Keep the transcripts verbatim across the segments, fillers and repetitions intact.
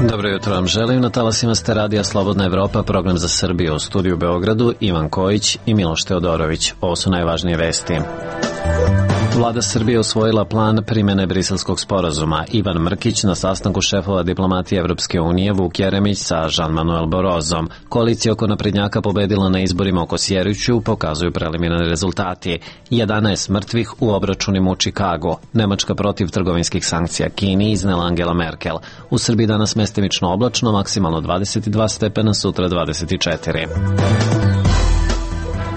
Dobro jutro vam želim. Na talasima ste radija Slobodna Evropa, program za Srbiju. U studiju u Beogradu Ivan Kojić i Miloš Teodorović. Ovo su najvažnije vesti. Vlada Srbije usvojila plan primjene Briselskog sporazuma. Ivan Mrkić na sastanku šefova diplomatije Evropske unije, Vuk Jeremić sa Jean-Manuel Barrosom. Koalicija oko naprednjaka pobedila na izborima u Kosjeriću, pokazuju preliminarni rezultati. jedanaest mrtvih u obračunima u Čikagu. Nemačka protiv trgovinskih sankcija Kini, iznela Angela Merkel. U Srbiji danas mestimično oblačno, maksimalno dvadeset dva stepena, sutra dvadeset četiri.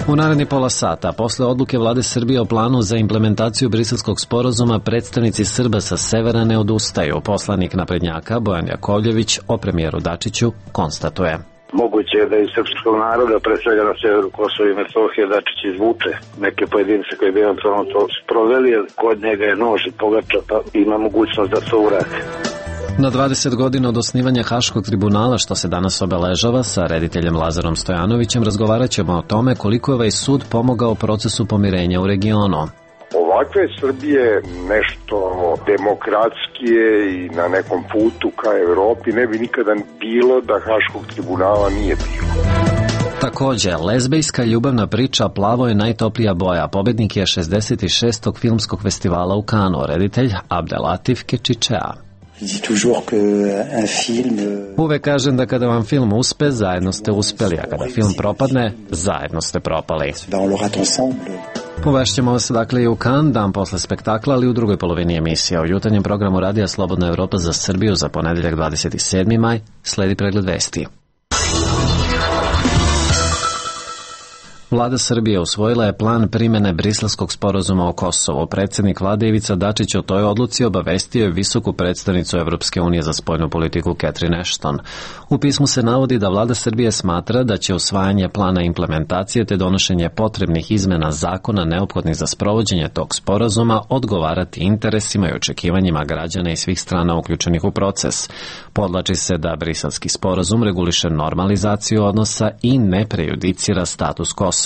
U naredni pola sata, posle odluke vlade Srbije o planu za implementaciju Briselskog sporazuma, predstavnici Srba sa severa ne odustaju. Poslanik naprednjaka Bojan Jakovljević o premijeru Dačiću konstatuje. Moguće je da iz srpskog naroda, pre svega na severu Kosova i Metohije, Dačić izvuče neke pojedince koji bi eventualno to sproveli, jer kod njega je nož i pogača, pa ima mogućnost da to uradi. Na dvadeset godina od osnivanja Haškog tribunala, što se danas obeležava, sa rediteljem Lazarom Stojanovićem razgovarat ćemo o tome koliko je ovaj sud pomogao procesu pomirenja u regionu. Ovakve Srbije nešto demokratskije i na nekom putu ka Evropi ne bi nikada bilo da Haškog tribunala nije bilo. Takođe, lezbejska ljubavna priča Plavo je najtoplija boja. Pobednik je šezdeset šestog filmskog festivala u Kanu, reditelj Abdelatif Kečičea. Uvek kažem da kada vam film uspe, zajedno ste uspeli, a kada film propadne, zajedno ste propali. Povešćemo vas dakle i u Kan, dan posle spektakla, ali u drugoj polovini emisije. U jutarnjem programu Radija Slobodna Evropa za Srbiju za ponedeljak dvadeset sedmi maj sledi pregled vesti. Vlada Srbije usvojila je plan primjene Briselskog sporazuma o Kosovu. Predsjednik vlade Ivica Dačić o toj odluci obavestio je visoku predstavnicu Evropske unije za spoljnu politiku Catherine Ashton. U pismu se navodi da vlada Srbije smatra da će usvajanje plana implementacije te donošenje potrebnih izmena zakona neophodnih za sprovođenje tog sporazuma odgovarati interesima i očekivanjima građana i svih strana uključenih u proces. Podlači se da Briselski sporazum reguliše normalizaciju odnosa i ne prejudicira status Kosova.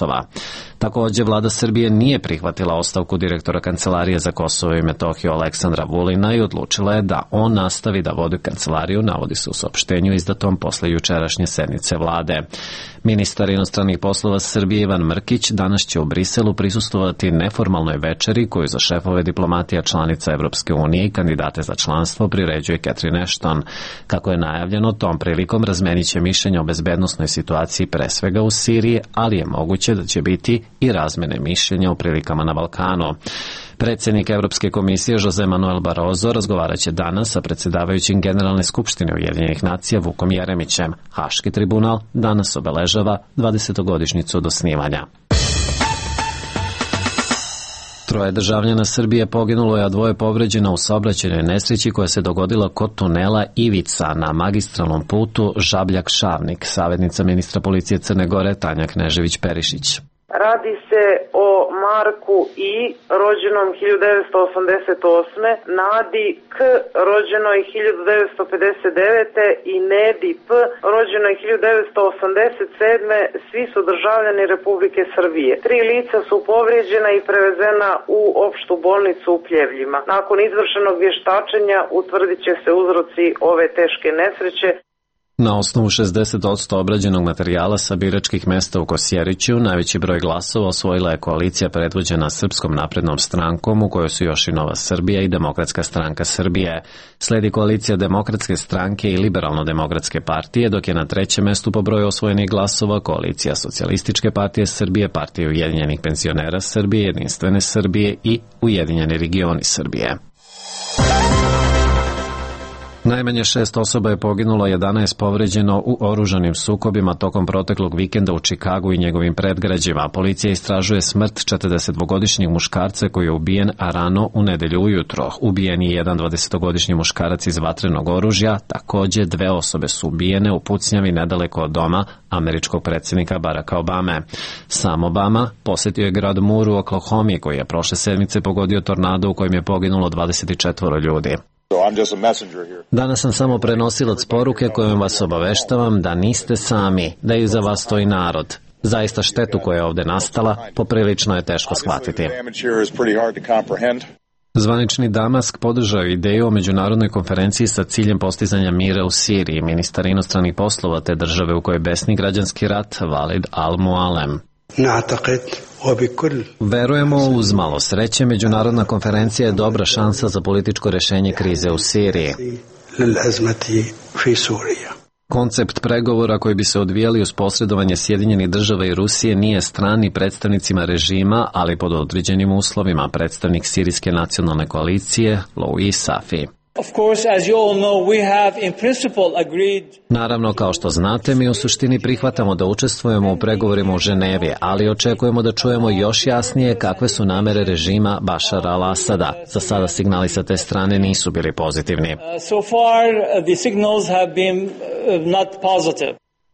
Također, vlada Srbije nije prihvatila ostavku direktora Kancelarije za Kosovo i Metohiju Aleksandra Vulina i odlučila je da on nastavi da vodi kancelariju, navodi se u saopštenju izdatom posle jučerašnje sednice vlade. Ministar inostranih poslova Srbije Ivan Mrkić danas će u Briselu prisustvovati neformalnoj večeri koju za šefove diplomatija članica Evropske unije i kandidate za članstvo priređuje Catherine Ashton. Kako je najavljeno, tom prilikom razmenit će mišljenja o bezbednosnoj situaciji pre svega u Siriji, ali je moguće da će biti i razmene mišljenja u prilikama na Balkanu. Predsjednik Evropske komisije Jose Manuel Barroso razgovarat će danas sa predsjedavajućim Generalne skupštine Ujedinjenih nacija Vukom Jeremićem. Haški tribunal danas obeležava dvadesetogodišnjicu od osnivanja. Troje državljana Srbije poginulo je, a dvoje povređeno u saobraćajnoj nesreći koja se dogodila kod tunela Ivica na magistralnom putu Žabljak-Šavnik, savjetnica ministra policije Crne Gore Tanja Knežević-Perišić. Radi se o Marku I, rođenom hiljadu devetsto osamdeset osme, Nadi K, rođenoj hiljadu devetsto pedeset devete i Nedi P, rođenoj hiljadu devetsto osamdeset sedme. Svi su državljani Republike Srbije. Tri lica su povrijeđena i prevezena u opštu bolnicu u Pljevljima. Nakon izvršenog vještačenja utvrdit će se uzroci ove teške nesreće. Na osnovu šezdeset posto obrađenog materijala sa biračkih mesta u Kosjeriću, najveći broj glasova osvojila je koalicija predvođena Srpskom naprednom strankom, u kojoj su još i Nova Srbija i Demokratska stranka Srbije. Sledi koalicija Demokratske stranke i Liberalno-demokratske partije, dok je na trećem mestu po broju osvojenih glasova koalicija Socijalističke partije Srbije, Partije Ujedinjenih penzionera Srbije, Jedinstvene Srbije i Ujedinjeni regioni Srbije. Najmanje šest osoba je poginulo, jedanaest povređeno u oružanim sukobima tokom proteklog vikenda u Čikagu i njegovim predgrađima. Policija istražuje smrt četrdesetdvogodišnjeg muškarca koji je ubijen a rano u nedelju ujutro. Ubijen je jedan dvadesetogodišnji muškarac iz vatrenog oružja, također dve osobe su ubijene u pucnjavi nedaleko od doma američkog predsjednika Baracka Obame. Sam Obama posjetio je grad Moore u Oklahomi koji je prošle sedmice pogodio tornado u kojem je poginulo dvadeset četvoro ljudi. Danas sam samo prenosilac poruke kojom vas obaveštavam da niste sami, da iza vas stoji narod. Zaista štetu koja je ovdje nastala poprilično je teško shvatiti. Zvanični Damask podržao ideju o međunarodnoj konferenciji sa ciljem postizanja mira u Siriji, ministar inostranih poslova te države u kojoj besni građanski rat Walid al-Mualem. Verujemo, uz malo sreće, međunarodna konferencija je dobra šansa za političko rešenje krize u Siriji. Koncept pregovora koji bi se odvijali uz posredovanje Sjedinjenih država i Rusije nije stran ni predstavnicima režima, ali pod određenim uslovima, predstavnik Sirijske nacionalne koalicije Louis Safi. Naravno, kao što znate, mi u suštini prihvatamo da učestvujemo u pregovorima u Ženevi, ali očekujemo da čujemo još jasnije kakve su namere režima Bašara al-Asada. Za sada signali sa te strane nisu bili pozitivni.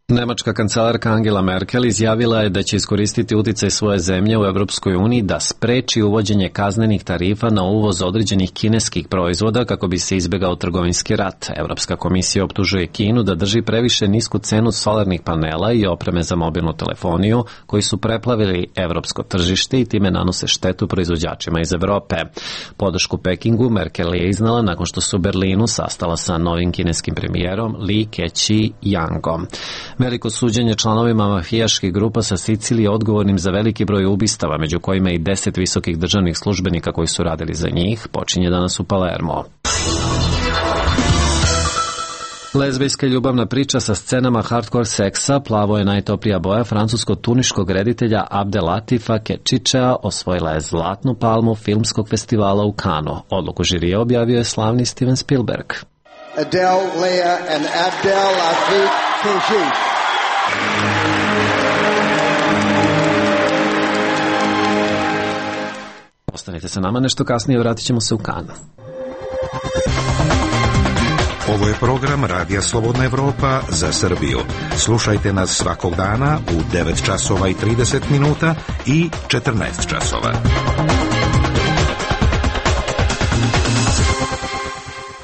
Nemačka kancelarka Angela Merkel izjavila je da će iskoristiti uticaj svoje zemlje u Evropskoj uniji da spreči uvođenje kaznenih tarifa na uvoz određenih kineskih proizvoda kako bi se izbegao trgovinski rat. Evropska komisija optužuje Kinu da drži previše nisku cenu solarnih panela i opreme za mobilnu telefoniju koji su preplavili evropsko tržište i time nanose štetu proizvođačima iz Evrope. Podršku Pekingu Merkel je iznala nakon što se u Berlinu sastala sa novim kineskim premijerom Li Keqiangom. Veliko suđenje članovima mafijaških grupa sa Sicilije odgovornim za veliki broj ubistava, među kojima i deset visokih državnih službenika koji su radili za njih, počinje danas u Palermo. Lezbijska ljubavna priča sa scenama hardcore seksa Plavo je najtoplija boja francusko-tuniškog reditelja Abdelatifa Kečičea osvojila je zlatnu palmu filmskog festivala u Kanu. Odluku žirija objavio je slavni Steven Spielberg. Adele, Leah and Abdel Latif Kechiche. Ostanite sa nama, nešto kasnije vratit ćemo se u Kan. Ovo je program Radija Slobodna Evropa za Srbiju. Slušajte nas svakog dana u devet časova i trideset minuta i četrnaest časova.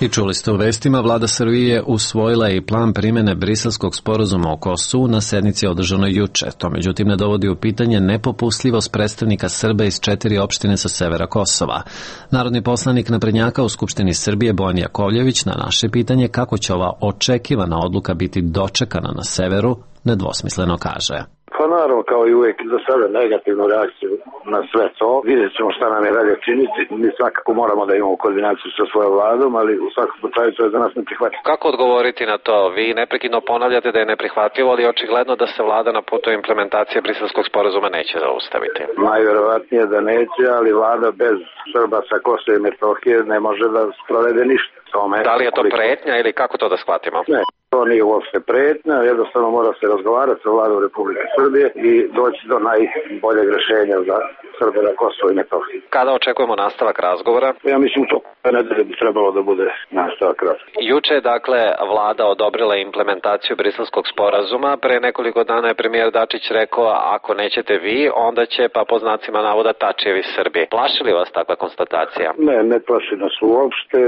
I čuli ste u vestima, vlada Srbije usvojila i plan primjene Briselskog sporazuma o Kosovu na sednici održanoj juče. To međutim ne dovodi u pitanje nepopustljivost predstavnika Srba iz četiri opštine sa severa Kosova. Narodni poslanik naprednjaka u Skupštini Srbije Bojan Jakovljević na naše pitanje kako će ova očekivana odluka biti dočekana na severu nedvosmisleno kaže. Pa naravno, kao i uvijek, za sada negativnu reakciju na sve to. Vidjet ćemo šta nam je dalje činiti. Mi svakako moramo da imamo koordinaciju sa svojom vladom, ali u svakom slučaju to je za nas neprihvatljivo. Kako odgovoriti na to? Vi neprekidno ponavljate da je neprihvatljivo, ali očigledno da se vlada na putu implementacije Briselskog sporazuma neće zaustaviti. Najverovatnije da neće, ali vlada bez Srba sa Kosova i Metohije ne može da sprovede ništa. Tome, da li je to pretnja ili kako to da shvatimo? Ne. To nije uopšte pretnja, jednostavno mora se razgovarati sa vladom Republike Srbije i doći do najboljeg rešenja za Srbe na Kosovo i Metohiji. Kada očekujemo nastavak razgovora? Ja mislim to nedelje bi trebalo da bude nastavak razgovora. Juče je dakle vlada odobrila implementaciju Briselskog sporazuma. Pre nekoliko dana je premijer Dačić rekao ako nećete vi, onda će pa po znacima navoda Tačijevi Srbi. Plaši li vas takva konstatacija? Ne, ne plaši nas uopšte.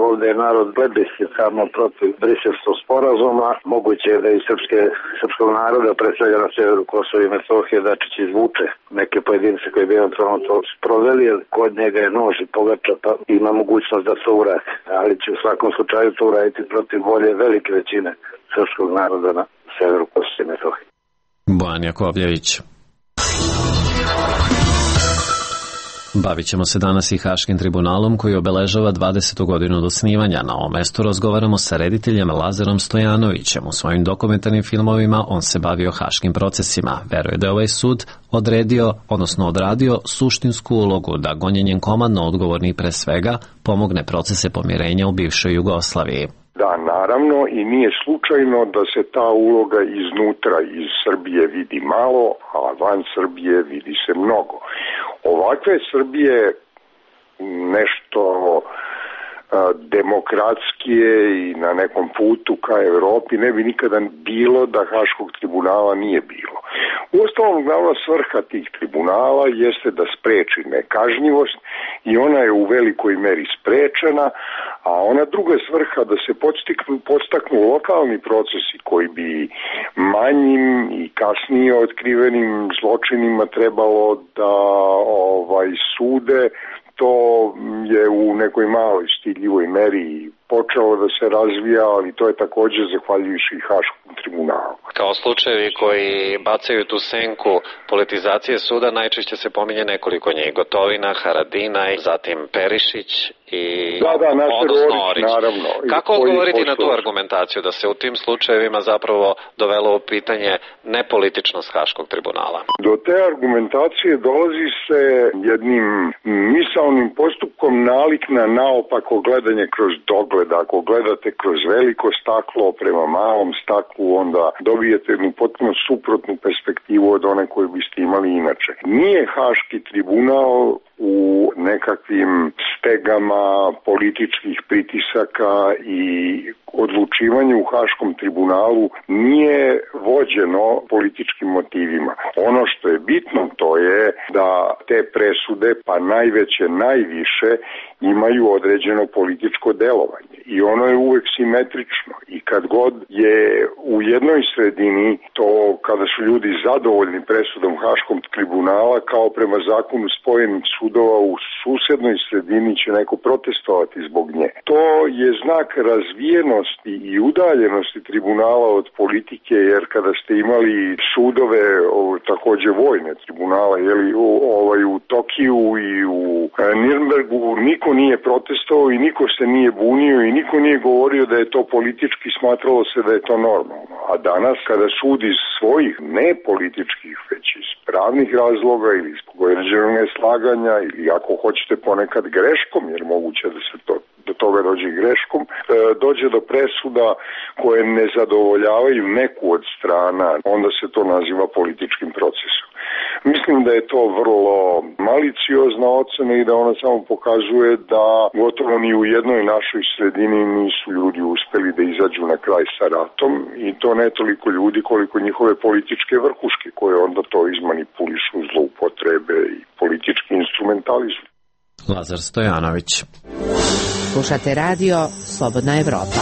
Ovde je narod plebiscitarno protiv Briselskog sporazuma. Moguće je da i srpske, srpskog naroda, pre svega na severu Kosova i Metohije, Dačić izvuče neke pojedince koji bi eventualno to sproveli, jer kod njega je nož i pogača, pa ima mogućnost da to uradi. Ali će u svakom slučaju to uraditi protiv volje velike većine srpskog naroda na severu Kosova i Metohije. Bojan Jakovljević. Bavit ćemo se danas i Haškim tribunalom koji obeležava dvadesetu godinu od osnivanja. Na ovom mestu razgovaramo sa rediteljem Lazarom Stojanovićem. U svojim dokumentarnim filmovima on se bavio haškim procesima. Veruje da je ovaj sud odredio, odnosno odradio suštinsku ulogu da gonjenjem komadno odgovorni pre svega pomogne procese pomirenja u bivšoj Jugoslaviji. Da, naravno, i nije slučajno da se ta uloga iznutra iz Srbije vidi malo, a van Srbije vidi se mnogo. Ovakve Srbije nešto a, demokratskije i na nekom putu ka Evropi ne bi nikada bilo da Haškog tribunala nije bilo. Uostalom, glavna svrha tih tribunala jeste da spreči nekažnjivost i ona je u velikoj meri sprečena, a ona druga svrha da se podstaknu, podstaknu lokalni procesi koji bi manjim i kasnije otkrivenim zločinima trebalo da ovaj sude to je u nekoj maloj stidljivoj meri počelo da se razvija, ali to je takođe zahvaljujući i Haškom tribunalu. Kao slučajevi koji bacaju tu senku politizacije suda, najčešće se pominje nekoliko njih. Gotovina, Haradinaj, zatim Perišić i da, da, odnosno Orić. Naravno. Kako odgovoriti na tu argumentaciju da se u tim slučajevima zapravo dovelo u pitanje nepolitičnost Haškog tribunala? Do te argumentacije dolazi se jednim misaonim postupkom nalik na naopako gledanje kroz dogled. Ako gledate kroz veliko staklo prema malom staklu, onda dobijete jednu potpuno suprotnu perspektivu od one koju biste imali inače. Nije Haški tribunal u nekakvim stegama političkih pritisaka i odlučivanje u Haškom tribunalu nije vođeno političkim motivima. Ono što je bitno to je da te presude, pa najveće, najviše, imaju određeno političko delovanje i ono je uvek simetrično i kad god je u jednoj sredini to kada su ljudi zadovoljni presudom Haškog tribunala kao prema zakonu spojenih sudova u susednoj sredini će neko protestovati zbog nje. To je znak razvijenosti i udaljenosti tribunala od politike jer kada ste imali sudove o, takođe vojne tribunale jeli, o, ovaj, u Tokiju i u Nirnbergu niko nije protestovao i niko se nije bunio i niko nije govorio da je to politički, smatralo se da je to normalno. A danas kada sud iz svojih ne političkih, već iz pravnih razloga ili iz određenog neslaganja ili ako hoćete ponekad greškom, jer moguće da se to do toga dođe greškom, dođe do presuda koje ne zadovoljavaju neku od strana, onda se to naziva političkim procesom. Mislim da je to vrlo maliciozna ocena i da ona samo pokazuje da gotovo ni u jednoj našoj sredini nisu ljudi uspeli da izađu na kraj sa ratom i to ne toliko ljudi koliko njihove političke vrhuške koje onda to izmanipulišu, zloupotrebe i politički instrumentalizmu. Lazar Stojanović. Slušate radio Slobodna Evropa.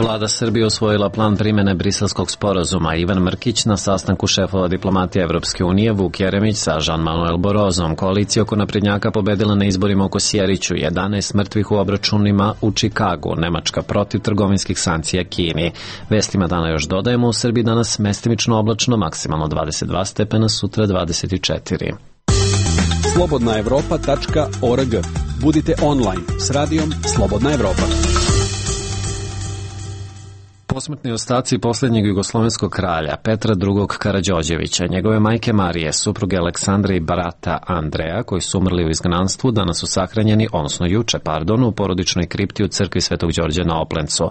Vlada Srbije usvojila plan primjene Briselskog sporazuma. Ivan Mrkić na sastanku šefova diplomatije Evropske unije, Vuk Jeremić sa Jean-Manuel Barrosom. Koalicija oko naprednjaka pobedila na izborima u Kosjeriću, jedanaest mrtvih u obračunima u Čikagu, Nemačka protiv trgovinskih sankcija Kini. Vestima dana još dodajemo, u Srbiji danas mestimično oblačno, maksimalno dvadeset dva stepena, sutra dvadeset četiri. slobodna evropa tačka org. Budite online s radijom Slobodna Evropa. Posmrtni ostaci posljednjeg jugoslovenskog kralja Petra drugog Karađorđevića, njegove majke Marije, supruge Aleksandre i brata Andreja, koji su umrli u izgnanstvu, danas su sahranjeni, odnosno juče, pardon, u porodičnoj kripti u crkvi Svetog Đorđa na Oplencu.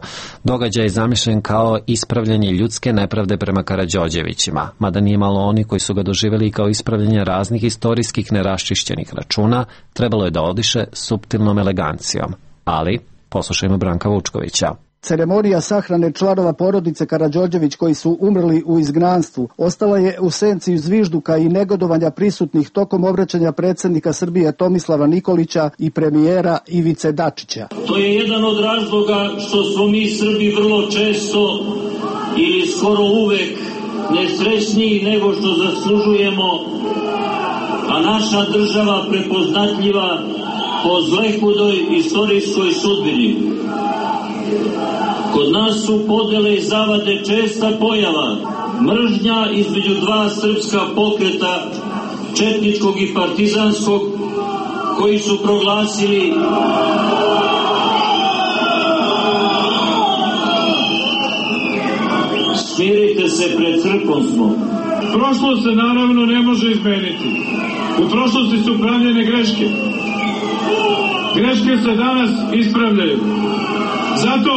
Događaj je zamišljen kao ispravljanje ljudske nepravde prema Karađorđevićima, mada nije malo oni koji su ga doživjeli kao ispravljanje raznih istorijskih neraščišćenih računa, trebalo je da odiše suptilnom elegancijom. Ali, poslušajmo Branka Vučkovića. Ceremonija sahrane članova porodice Karađorđević koji su umrli u izgnanstvu ostala je u senci zvižduka i negodovanja prisutnih tokom obraćanja predsjednika Srbije Tomislava Nikolića i premijera Ivice Dačića. To je jedan od razloga što smo mi Srbi vrlo često ili skoro uvek nesrećniji nego što zaslužujemo, a naša država prepoznatljiva po zlehudoj istorijskoj sudbini. Kod nas su podele i zavade česta pojava, mržnja između dva srpska pokreta, četničkog i partizanskog, koji su proglasili smirite se, pred crkvom smo. Prošlost se naravno ne može izmeniti. U prošlosti su pravljene greške. Greške se danas ispravljaju. Zato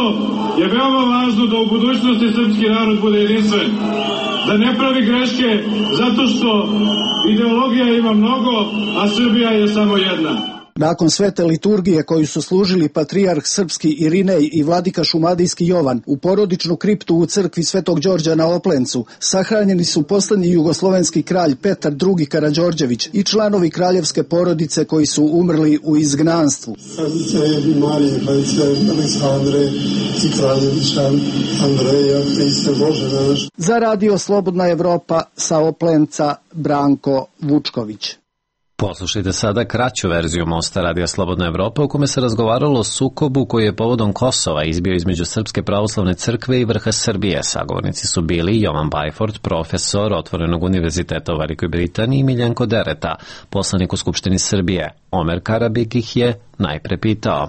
je veoma važno da u budućnosti srpski narod bude jedinstven. Da ne pravi greške zato što ideologija ima mnogo, a Srbija je samo jedna. Nakon svete liturgije koju su služili patrijarh srpski Irinej i vladika šumadijski Jovan u porodičnu kriptu u crkvi Svetog Đorđa na Oplencu, sahranjeni su poslednji jugoslovenski kralj Petar drugi Karađorđević i članovi kraljevske porodice koji su umrli u izgnanstvu. Kraljice Marije, kraljice Aleksandre i kraljevića Andreja, Hriste Bože naš. Za radio Slobodna Evropa sa Oplenca Branko Vučković. Poslušajte sada kraću verziju Mosta Radija Slobodna Evropa u kome se razgovaralo o sukobu koji je povodom Kosova izbio između Srpske pravoslavne crkve i vrha Srbije. Sagovornici su bili Jovan Bajford, profesor Otvorenog univerziteta u Velikoj Britaniji, i Miljenko Dereta, poslanik u Skupštini Srbije. Omer Karabik ih je najpre pitao.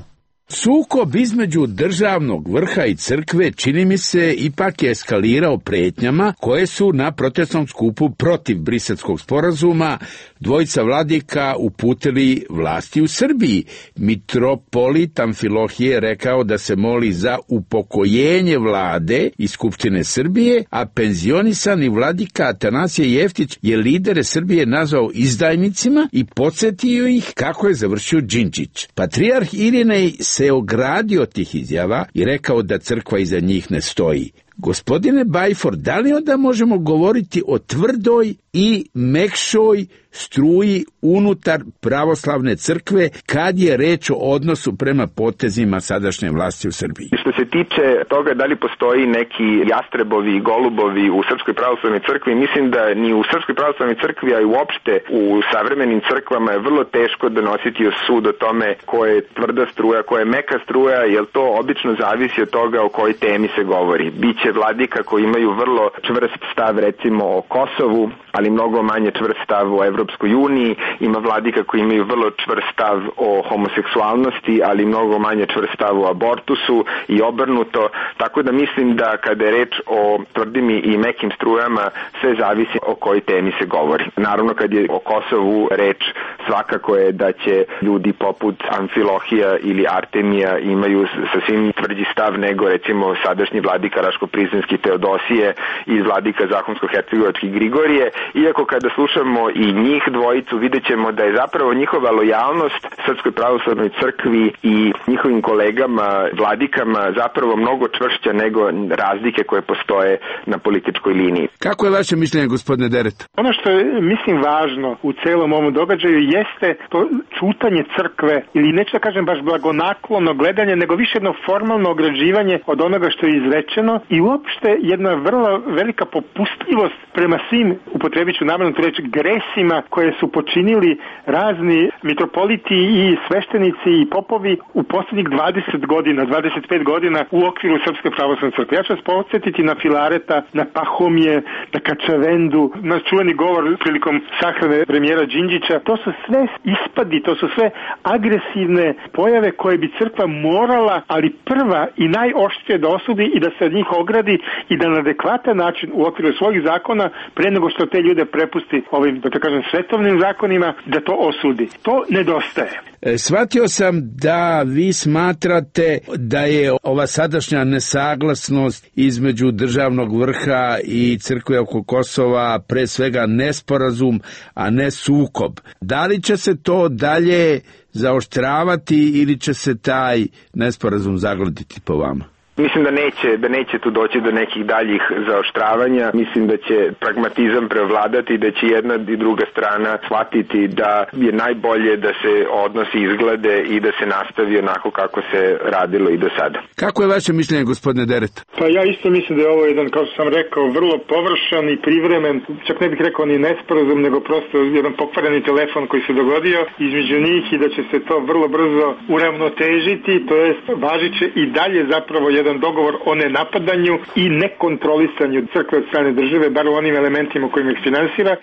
Sukob između državnog vrha i crkve, čini mi se, ipak je eskalirao pretnjama koje su na protestnom skupu protiv Briselskog sporazuma dvojica vladika uputili vlasti u Srbiji. Mitropolit Amfilohije je rekao da se moli za upokojenje vlade i Skupštine Srbije, a penzionisani vladika Atanasije Jeftić je lidere Srbije nazvao izdajnicima i podsjetio ih kako je završio Đinđić. Patrijarh Irinej se ogradio tih izjava i rekao da crkva iza njih ne stoji. Gospodine Bajford, da li onda možemo govoriti o tvrdoj i mekšoj struji unutar pravoslavne crkve kad je reč o odnosu prema potezima sadašnje vlasti u Srbiji? Što se tiče toga da li postoji neki jastrebovi i golubovi u Srpskoj pravoslavnoj crkvi, mislim da ni u Srpskoj pravoslavnoj crkvi, a i uopšte u savremenim crkvama je vrlo teško donositi sud o tome ko je tvrda struja, ko je meka struja, jer to obično zavisi od toga o kojoj temi se govori. Biće vladika koji imaju vrlo čvrst stav recimo o Kosovu, ali mnogo manje čvrst stav o Evropskoj uniji, ima vladika koji imaju vrlo čvrst stav o homoseksualnosti, ali mnogo manje čvrst stav o abortusu i obrnuto, tako da mislim da kada je reč o tvrdim i mekim strujama, sve zavisi o kojoj temi se govori. Naravno kad je o Kosovu reč, svakako je da će ljudi poput Amfilohija ili Artemija imaju sasvim tvrđi stav nego recimo sadašnji vladika Raško-Prizrenski Teodosije i vladika Zahumsko-Hercegovački Grigorije, iako kada slušamo i njih dvojicu vidjet ćemo da je zapravo njihova lojalnost Srpskoj pravoslavnoj crkvi i njihovim kolegama, vladikama zapravo mnogo čvršća nego razlike koje postoje na političkoj liniji. Kako je vaše mišljenje, gospodine Deret? Ono što je, mislim, važno u celom ovom događaju jeste to čutanje crkve, ili neću da kažem baš blagonaklono gledanje, nego više jedno formalno ograđivanje od onoga što je izrečeno i uopšte jedna vrlo velika popustljivost prema svim, upotrebit ću namerno tu reč, gresima koje su počinili razni mitropoliti i sveštenici i popovi u poslednjih dvadeset godina, dvadeset pet godina u okviru Srpske pravoslavne crkve. Ja ću vas podsjetiti na Filareta, na Pahomije, na Kačavendu, na čuveni govor prilikom sahrane premijera Đinđića. To su sve ispadi, to su sve agresivne pojave koje bi crkva morala, ali prva i najoštrije da osudi i da se od njih ogradi i da na adekvatan način u okviru svojih zakona, pre nego što te ljude prepusti ovim, da to kažem, svetovnim zakonima, da to osudi. To nedostaje. E, shvatio sam da vi smatrate da je ova sadašnja nesaglasnost između državnog vrha i crkve oko Kosova pre svega nesporazum, a ne sukob. Da li će se to dalje zaoštravati ili će se taj nesporazum zagladiti po vama? Mislim da neće, da neće tu doći do nekih daljih zaoštravanja. Mislim da će pragmatizam prevladati, da će jedna i druga strana shvatiti da je najbolje da se odnosi izglede i da se nastavi onako kako se radilo i do sada. Kako je vaše mišljenje, gospodine Deret? Pa ja isto mislim da je ovo jedan, kao što sam rekao, vrlo površan i privremen, čak ne bih rekao ni nesporazum, nego prosto jedan pokvareni telefon koji se dogodio između njih i da će se to vrlo brzo uravnotežiti, to jest važit će i dalje zapravo jedan dogovor o nenapadanju i nekontrolisanju crkve od strane države, bar u onim elementima kojim ih finansira.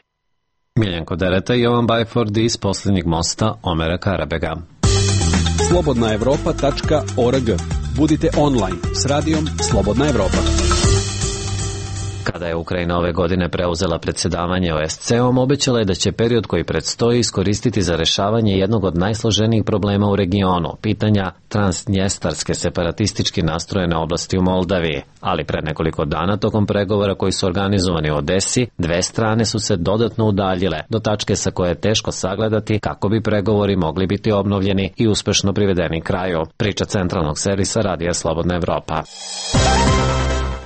Miljenko Dereta i Jovan Bajford iz Poslednjeg mosta Omera Karabega. slobodna evropa tačka org. Budite online s radijom Slobodna Evropa. Kada je Ukrajina ove godine preuzela predsjedavanje O S C E-om, obećala je da će period koji predstoji iskoristiti za rešavanje jednog od najsloženijih problema u regionu, pitanja transnjestarske separatistički nastrojene oblasti u Moldaviji. Ali pred nekoliko dana, tokom pregovora koji su organizovani u Odesi, dve strane su se dodatno udaljile, do tačke sa koje je teško sagledati kako bi pregovori mogli biti obnovljeni i uspešno privedeni kraju. Priča centralnog servisa Radija Slobodna Evropa.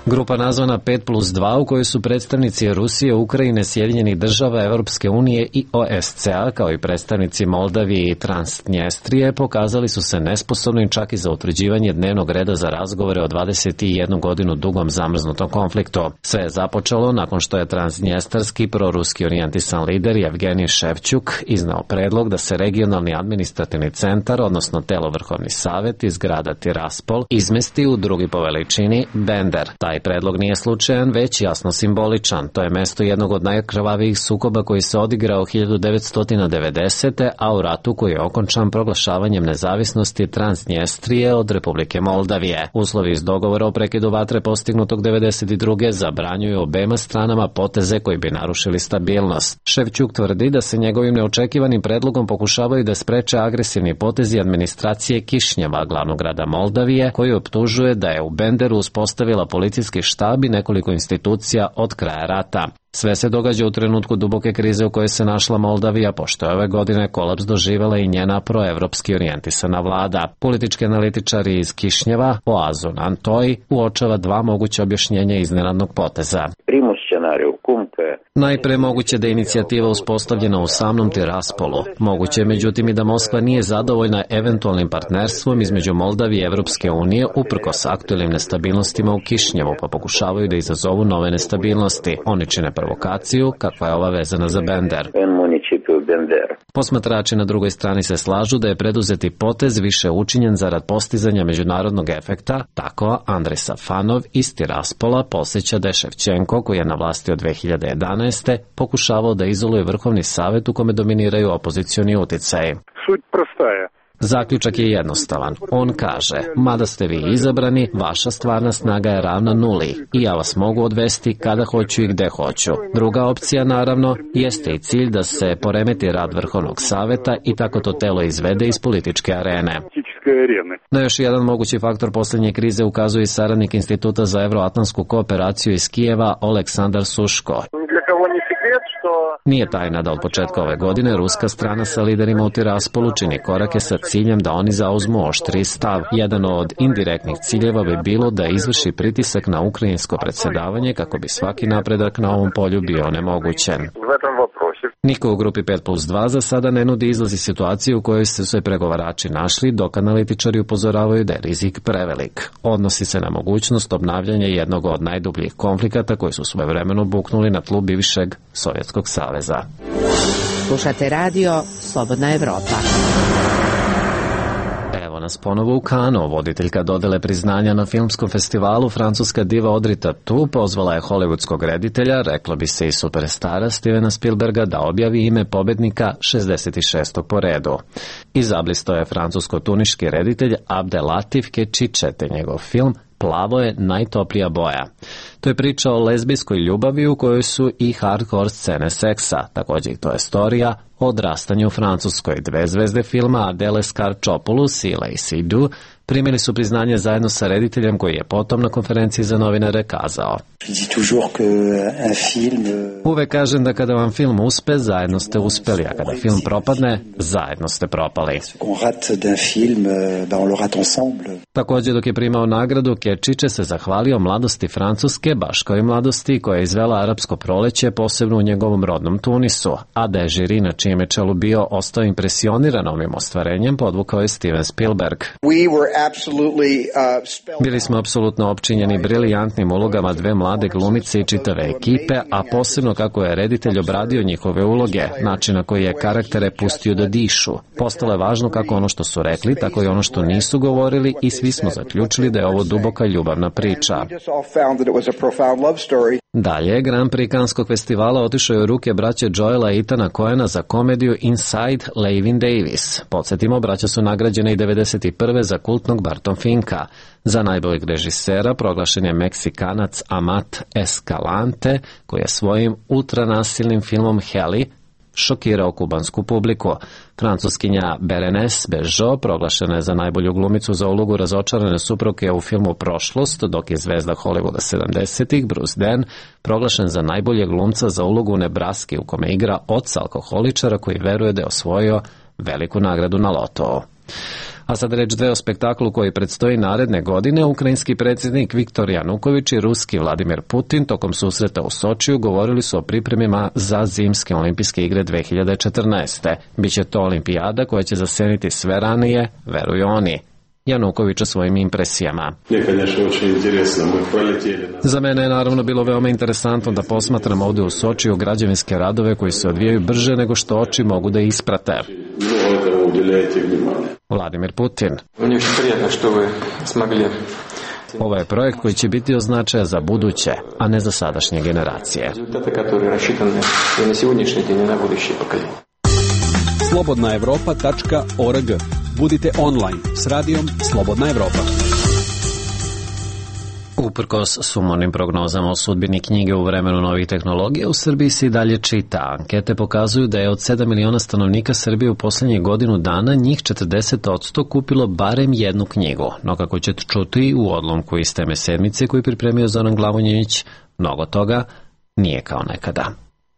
Grupa nazvana pet plus dva u kojoj su predstavnici Rusije, Ukrajine, Sjedinjenih država, Evropske unije i O S C A kao i predstavnici Moldavije i Transnjestrije pokazali su se nesposobnim čak i za utvrđivanje dnevnog reda za razgovore o dvadeset jednu godinu dugom zamrznutom konfliktu. Sve je započelo nakon što je transnjestarski proruski orijentisan lider Evgenij Ševčuk iznao predlog da se regionalni administrativni centar, odnosno telo Vrhovni savet iz grada Tiraspol, izmesti u drugi po veličini Bender. Taj predlog nije slučajan, već jasno simboličan. To je mesto jednog od najkrvavijih sukoba koji se odigrao hiljadu devetsto devedesete. a u ratu koji je okončan proglašavanjem nezavisnosti Transnjestrije od Republike Moldavije. Uslovi iz dogovora o prekidu vatre postignutog devedeset druge zabranjuju obema stranama poteze koji bi narušili stabilnost. Ševčuk tvrdi da se njegovim neočekivanim predlogom pokušavaju da spreče agresivni potezi administracije Kišnjeva, glavnog grada Moldavije, koji optužuje da je u Benderu uspostavila policijski štab i nekoliko institucija od kraja rata. Sve se događa u trenutku duboke krize u kojoj se našla Moldavija, pošto je ove godine kolaps doživela i njena proevropski orijentisana vlada. Politički analitičari iz Kišnjeva, Oazun Antoj, uočava dva moguća objašnjenja iznenadnog poteza. Najpre moguće da je inicijativa uspostavljena u samom Tiraspolu. Moguće je međutim i da Moskva nije zadovoljna eventualnim partnerstvom između Moldavije i Evropske unije uprkos aktuelnim nestabilnostima u Kišnjevu, pa pokušavaju da izazovu nove nestabilnosti. Oni čine provokaciju, kakva je ova vezana za Bender. Posmatrači na drugoj strani se slažu da je preduzeti potez više učinjen zarad postizanja međunarodnog efekta. Tako Andrej Safanov iz Tiraspola posjeća da je Ševčenko, koji je na vlasti od dve hiljade jedanaeste. pokušavao da izoluje Vrhovni savet u kome dominiraju opozicioni utjecaji. Sуть простая. Zaključak je jednostavan. On kaže, mada ste vi izabrani, vaša stvarna snaga je ravna nuli i ja vas mogu odvesti kada hoću i gde hoću. Druga opcija, naravno, jeste i cilj da se poremeti rad Vrhovnog saveta i tako to telo izvede iz političke arene. Na još jedan mogući faktor posljednje krize ukazuje i saradnik Instituta za evroatlantsku kooperaciju iz Kijeva Oleksandar Suško. Nije tajna da od početka ove godine ruska strana sa liderima u Tiraspolu čini korake sa ciljem da oni zauzmu oštriji stav. Jedan od indirektnih ciljeva bi bilo da izvrši pritisak na ukrajinsko predsjedavanje kako bi svaki napredak na ovom polju bio onemogućen. Niko u grupi pet plus dva za sada ne nudi izlaz iz situacije u kojoj se sve pregovarači našli, dok analitičari upozoravaju da je rizik prevelik. Odnosi se na mogućnost obnavljanja jednog od najdubljih konflikata koji su svojevremeno buknuli na tlu bivšeg Sovjetskog saveza. Slušate radio Slobodna Evropa. Evo nas ponovo u Kanu. Voditeljka dodele priznanja na filmskom festivalu, francuska diva Audrey Tautou, pozvala je hollywoodskog reditelja, reklo bi se i superstara Stevena Spielberga, da objavi ime pobednika šezdeset šestog po redu. Izablisto je francusko-tuniški reditelj Abdelatif Kečiće, te njegov film Plavo je najtoplija boja. To je priča o lezbijskoj ljubavi u kojoj su i hardcore scene seksa. Također to je storija o odrastanju u Francuskoj. Dve zvezde filma, Adele Scarčopoulos i Lacey Du, primili su priznanje zajedno sa rediteljem koji je potom na konferenciji za novinare kazao: Uvek kažem da kada vam film uspe, zajedno ste uspeli, a kada film propadne, zajedno ste propali. Također dok je primao nagradu, Kečiće se zahvalio mladosti Francuske, baš kao i mladosti koja je izvela arapsko proleće, posebno u njegovom rodnom Tunisu, a da je žiri na čijem je čelu bio ostao impresioniran ovim ostvarenjem, podvukao je Steven Spielberg. Bili smo apsolutno opčinjeni briljantnim ulogama dve mlade glumice i čitave ekipe, a posebno kako je reditelj obradio njihove uloge, način na koji je karaktere pustio da dišu. Postalo je važno kako ono što su rekli, tako i ono što nisu govorili, i svi smo zaključili da je ovo duboka ljubavna priča. Dalje, Grand Prix Kanskog festivala otišao je u ruke braće Joela i Ethana Coena za komediju Inside Llewyn Davis. Podsjetimo, braća su nagrađene i devedeset prve za kultnog Barton Finka. Za najboljeg režisera proglašen je Meksikanac Amat Escalante, koji je svojim ultranasilnim filmom Heli šokirao kubansku publiku. Francuskinja Berenice Bejo proglašena je za najbolju glumicu za ulogu razočarane supruge u filmu Prošlost, dok je zvezda Hollywooda sedamdesetih Bruce Dern proglašen za najboljeg glumca za ulogu u Nebraski, u kome igra oca alkoholičara koji veruje da je osvojio veliku nagradu na lotou. A sad reč dve o spektaklu koji predstoji naredne godine. Ukrajinski predsjednik Viktor Januković i ruski Vladimir Putin tokom susreta u Sočiju govorili su o pripremima za zimske olimpijske igre dve hiljade četrnaeste. Biće to olimpijada koja će zaseniti sve ranije, veruju oni. Januković o svojim impresijama. Za mene je naravno bilo veoma interesantno da posmatram ovde u Sočiju građevinske radove koji se odvijaju brže nego što oči mogu da isprate. Vladimir Putin. Ovo je projekt koji će biti od značaja za buduće, a ne za sadašnje generacije. slobodna evropa tačka org. Budite online s radijom Slobodna Evropa. Uprkos sumornim prognozama o sudbini knjige u vremenu novih tehnologija, u Srbiji se i dalje čita. Ankete pokazuju da je od sedam miliona stanovnika Srbije u poslednjih godinu dana njih četrdeset posto kupilo barem jednu knjigu. No kako ćete čuti u odlomku iz teme sedmice koji pripremio Zoran Glavonjević, mnogo toga nije kao nekada.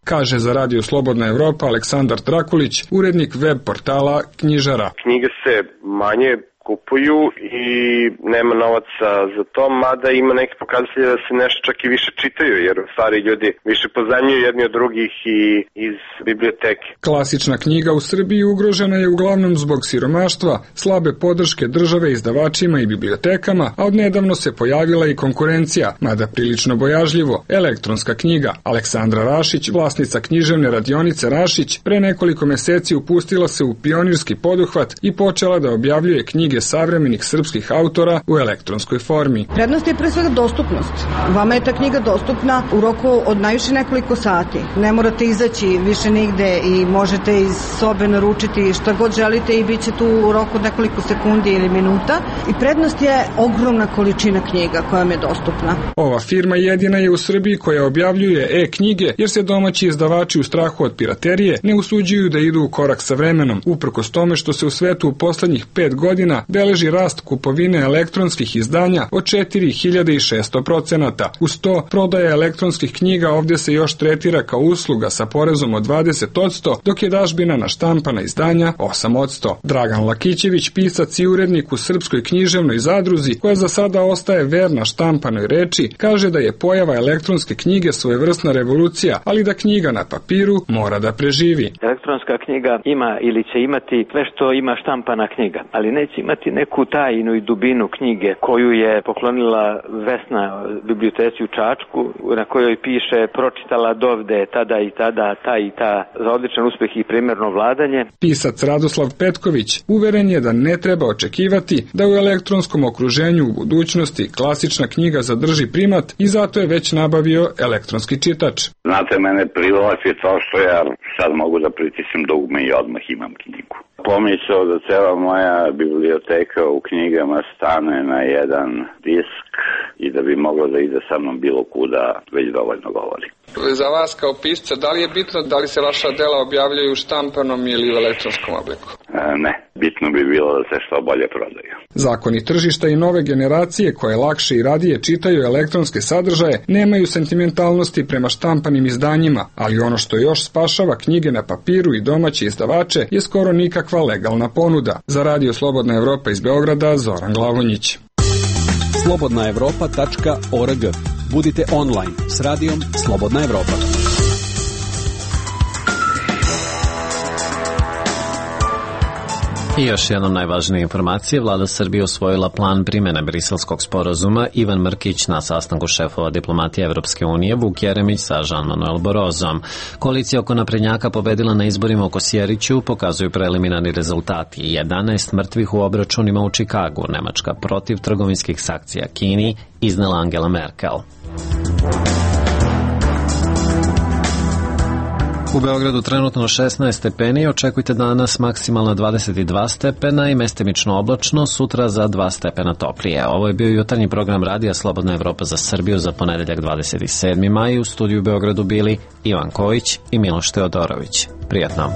Kaže za Radio Slobodna Evropa Aleksandar Trakulić, urednik web portala Knjižara. Knjige se manje kupuju i nema novaca za to, mada ima neki pokazatelji da se nešto čak i više čitaju, jer stari ljudi više pozajmljuju jedni od drugih i iz biblioteke. Klasična knjiga u Srbiji ugrožena je uglavnom zbog siromaštva, slabe podrške države izdavačima i bibliotekama, a odnedavno se pojavila i konkurencija, mada prilično bojažljivo, elektronska knjiga. Aleksandra Rašić, vlasnica književne radionice Rašić, pre nekoliko meseci upustila se u pionirski poduhvat i počela da objavljuje knjige savremenih srpskih autora u elektronskoj formi. Prednost je pre svega dostupnost. Vama je ta knjiga dostupna u roku od najviše nekoliko sati. Ne morate izaći više nigde i možete iz sobe naručiti šta god želite i bit će tu u roku od nekoliko sekundi ili minuta. I prednost je ogromna količina knjiga koja vam je dostupna. Ova firma jedina je u Srbiji koja objavljuje e-knjige, jer se domaći izdavači u strahu od piraterije ne usuđuju da idu u korak sa vremenom, uprkos tome što se u svetu u poslednjih pet godina beleži rast kupovine elektronskih izdanja od četiri hiljade šesto procenata. Uz to, prodaja elektronskih knjiga ovdje se još tretira kao usluga sa porezom od dvadeset posto, dok je dažbina na štampana izdanja osam posto. Dragan Lakićević, pisac i urednik u Srpskoj književnoj zadruzi, koja za sada ostaje verna štampanoj reči, kaže da je pojava elektronske knjige svojevrsna revolucija, ali da knjiga na papiru mora da preživi. Elektronska knjiga ima ili će imati sve što ima štampana knjiga, ali neće imati neku tajnu i dubinu knjige koju je poklonila Vesna biblioteci u Čačku, na kojoj piše pročitala dovde tada i tada, ta i ta, za odličan uspeh i primjerno vladanje. Pisac Radoslav Petković uveren je da ne treba očekivati da u elektronskom okruženju u budućnosti klasična knjiga zadrži primat i zato je već nabavio elektronski čitač. Znate, mene privlači to što ja sad mogu da pritisnem dugme i odmah imam knjigu. Pomislio da cela moja biblioteka u knjigama stane na jedan disk i da bi moglo da ide sa mnom bilo kuda, već dovoljno govori. Za vas kao pisca, da li je bitno da li se vaša dela objavljaju u štampanom ili u elektronskom obliku? E, ne, bitno bi bilo da se što bolje prodaju. Zakoni tržišta i nove generacije koje lakše i radije čitaju elektronske sadržaje nemaju sentimentalnosti prema štampanim izdanjima, ali ono što još spašava knjige na papiru i domaće izdavače je skoro nikakva legalna ponuda. Za Radio Slobodna Evropa iz Beograda, Zoran Glavonjić. slobodna evropa tačka org. Budite online s radijom Slobodna Evropa. I još jednom najvažnije informacije. Vlada Srbije osvojila plan primjene Briselskog sporazuma. Ivan Mrkić na sastanku šefova diplomatije Evropske unije, Vuk Jeremić sa Jean-Manuel Barrozom. Koalicija oko naprednjaka pobedila na izborima u Kosjeriću, pokazuju preliminarni rezultati. jedanaest mrtvih u obračunima u Čikagu. Nemačka protiv trgovinskih sankcija Kini iznela Angela Merkel. U Beogradu trenutno šesnaest stepeni, očekujte danas maksimalno dvadeset dva stepena i mestimično oblačno, sutra za dva stepena toplije. Ovo je bio jutarnji program Radija Slobodna Evropa za Srbiju za ponedeljak dvadeset sedmi maj. U studiju u Beogradu bili Ivan Kojić i Miloš Teodorović. Prijatno.